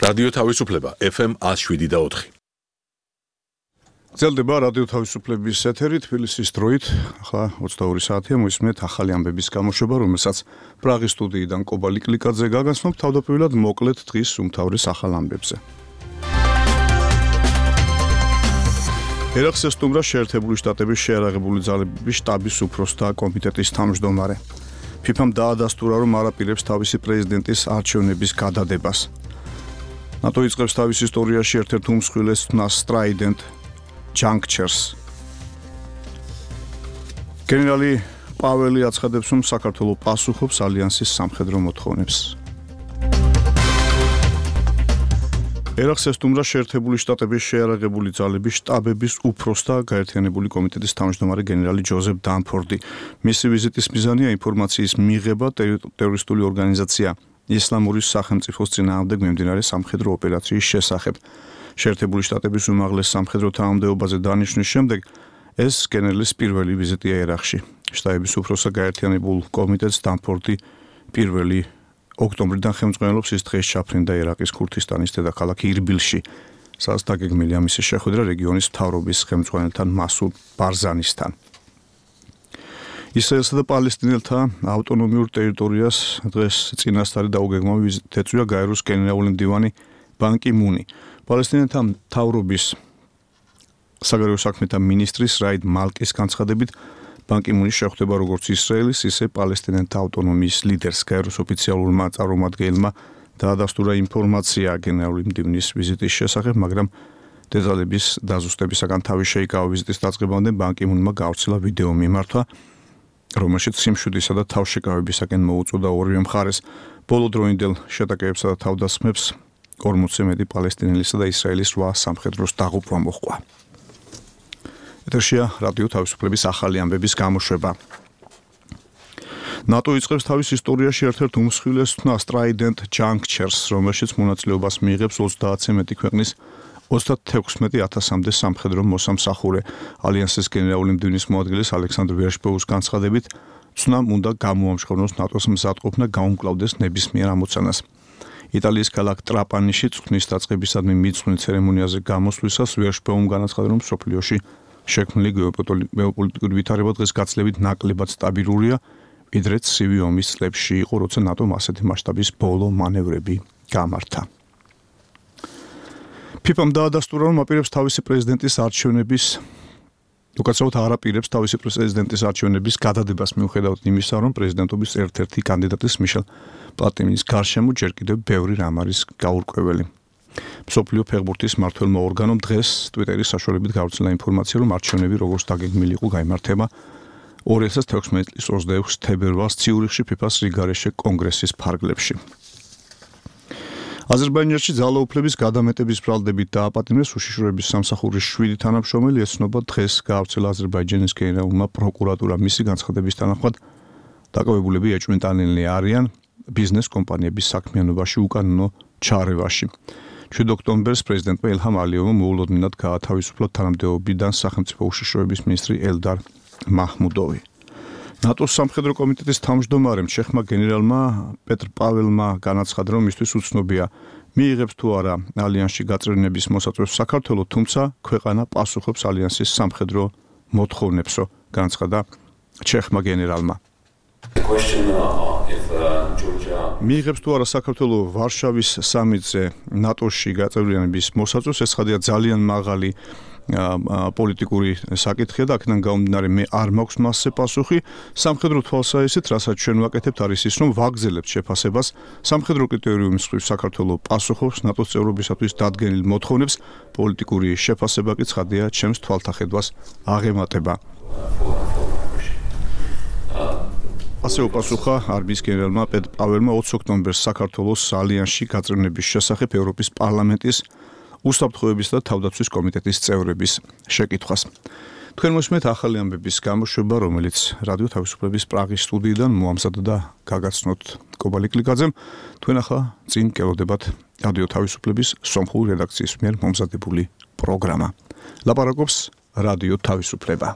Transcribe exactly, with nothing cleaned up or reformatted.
რადიო თავისუფლება ეფ ემ one oh seven და four. გრძელდება რადიო თავისუფლების ეთერი თბილისის დროით, ახლა ოცდაორი საათია, მოისმენთ ახალი ამბების გამოშვება, რომელსაც პრაღის სტუდიიდან კობა ლიკლიკაძე გაგაცნობ თავდაპირველად მოკლედ დღის უმთავრეს ახალ ამბებზე. ერახს ესტუმრა შეერთებული შტატების შეიარაღებული ძალების შტაბის უფროსთა კომიტეტის თავმჯდომარე. ფიფამ დაადასტურა, რომ არაპირებს თავისი პრეზიდენტის არჩევნების გადადებას. ნატო იწყებს თავის ისტორიაში ერთ-ერთ უმსხვილეს თნას Trident Junctures. გენერალი პაველი აცხადებს, რომ საქართველოს პასუხობს ალიანსის სამხედრო მოთხოვნებს. ერახს ესტუმრა შეერთებული შტატების შეიარაღებული ძალების შტაბების უფროსთა გაერთიანებული კომიტეტის თავმჯდომარე გენერალი ჯოზეფ დანფორდი. მისი ვიზიტის მიზანია ინფორმაციის მიღება ტერორისტული ორგანიზაცია ისლამური სახელმწიფოს წინააღმდეგ მიმდინარე სამხედრო ოპერაციის შესახებ. შეერთებული შტატების უმაღლეს სამხედრო თანამდებობაზე დანიშვნის შემდეგ ეს გენერლის პირველი ვიზიტია ერახში. შტაბების უფროსთა გაერთიანებულ კომიტეტს დანფორდი პირველი ოქტომბრიდან ხელმძღვანელობს, ის დღეს ჩაფრინდა ერაყის ქურთისტანის დედაქალაქ ირბილში, სადაც დაგეგმილია მისი შეხვედრა რეგიონის მთავრობის ხელმძღვანელთან მასუდ ბარზანისთან. ისრაელსა და პალესტინელთა ავტონომიურ ტერიტორიას დღეს წინასწარი დაუგეგმავი ვიზიტით ეწვია გაეროს გენერალური მდივანი ბან კი მუნი. პალესტინელთა მთავრობის საგარეო საქმეთა მინისტრის რაიდ მალკის განცხადებით, ბან კი მუნის შეხვდება როგორც ისრაელის, ისე პალესტინელთა ავტონომიის ლიდერს. გაეროს ოფიციალურმა წარმომადგენელმა დაადასტურა ინფორმაცია გენერალური მდივნის ვიზიტის შესახებ, მაგრამ დეტალების დაზუსტებისაგან თავი შეიკავა. ვიზიტის დაწყებამდე ბან კი მუნმა გავრცელა ვიდეო მიმართვა, რომელშიც სიმშვიდისა და თავშეკავებისაკენ მოუწოდა ორივე მხარეს. ბოლო დროინდელ შეტაკებებსა და თავდასხმებს ორმოცზე მეტი პალესტინელისა და ისრაელის რვა სამხედროს დაღუპვა მოჰყვა. ეთერშია რადიო თავისუფლების ახალი ამბების გამოშვება. ნატო იწყებს თავის ისტორიაში ერთ-ერთ უმსხვილეს თნას Trident Junctures, რომელშიც მონაწილეობას მიიღებს ოცდაათზე მეტი ქვეყნის ოცდათექვსმეტი ათასამდე სამხედრო მოსამსახურე. ალიანსის გენერალური მდივნის მოადგილის ალექსანდრ ვერშბოუს განცხადებით, ცნამ უნდა გამოამშრომლოს ნატოს მზადყოფნა გაუმკლავდეს ნებისმიერ ამოცანას. იტალიის ქალაქ ტრაპანიში წვნის დაწყებისადმი მიძღვნილ ცერემონიაზე გამოსვლისას ვერშბოუმ განაცხადა, რომ სოფლიოში შექმნილი გეოპოლიტიკური ვითარება დღეს გაცილებით ნაკლებად სტაბილურია, ვიდრე ცივი ომის წლებში იყო, როცა ნატომ ასეთი მასშტაბის ბოლო მანევრები გამართა. ფიფამ დაადასტურა, რომ აპირებს თავისი პრეზიდენტის არჩევნების უკაცრავად არაპირებს თავისი პრეზიდენტის არჩევნების გადადებას მიუხედავად იმისა, რომ პრეზიდენტობის ერთ-ერთი კანდიდატის მიშელ პლატინის გარშემო ჯერ კიდევ ბევრი რამ არის გაურკვეველი. მსოფლიო ფეხბურთის მმართველმა ორგანომ დღეს ტვიტერის საშუალებით გავრცელა ინფორმაცია, რომ არჩევნები როგორც დაგეგმილი იყო გაიმართება ორი ათას თექვსმეტი წლის ოცდაექვსი თებერვალს ციურიხში ფიფას რიგარეშე კონგრესის ფარგლებში. აზერბაიჯანში ძალაუფლების გადამეტების ბრალდებით დააპატიმრეს უშიშროების სამსახურის შვიდი თანამშრომელი, ეცნობა დღეს გაავრცელა აზერბაიჯანის გენერალურმა პროკურატურამ. მისი განცხადების თანახმად დაკავებულები ეჭვმიტანილნი არიან ბიზნეს კომპანიების საქმიანობაში უკანონო ჩარევაში. შვიდ ოქტომბერს პრეზიდენტმა ილჰამ ალიევმა მოულოდნელად გაათავისუფლა თანამდებობიდან სახელმწიფო უშიშროების მინისტრი ელდარ მაჰმუდოვი. ნატოს სამხედრო კომიტეტის თავმჯდომარემ ჩეხმა გენერალმა პეტრ პაველმა განაცხადა, რომ მისთვის უცნობია მიიღებს თუ არა ალიანსში გაწევრიანების მოსაწვევს საქართველო, თუმცა ქვეყანა პასუხობს ალიანსის სამხედრო მოთხოვნებსო, განაცხადა ჩეხმა გენერალმა. მიიღებს თუ არა საქართველო ვარშავის სამიტზე ნატოში გაწევრიანების მოსაწვევს, ეს ხადია ძალიან მაღალი პოლიტიკური საკითხია და აქედან გამომდინარე მე არ მაქვს მასზე პასუხი. სამხედრო თვალსაზრისით, რასაც ჩვენ ვაკეთებთ, არის ის, რომ ვაგრძელებთ შეფასებას. სამხედრო კრიტერიუმის მხრივ საქართველო პასუხობს ნატოს წევრობისათვის დადგენილ მოთხოვნებს, პოლიტიკური შეფასება კი ცხადია ჩემს თვალთახედვას აღემატება. ასე უპასუხა არმიის გენერალმა პეტრ პაველმა ოცი ოქტომბერს საქართველოს ალიანსში გაწევრიანების შესახებ ევროპის პარლამენტის უსაფრთხოების და თავდაცვის კომიტეტის წევრების შეკითხვას. თქვენ მოსმენთ ახალი ამბების გამოშვება, რომელიც რადიო თავისუფლების პრაღის სტუდიიდან მოამზადა და გაგაცნოთ კობა ლიკლიკაძემ. თქვენ ახლა წინ გელოდებათ რადიო თავისუფლების სომხური რედაქციის მიერ მომზადებული პროგრამა. ლაპარაკობს რადიო თავისუფლება.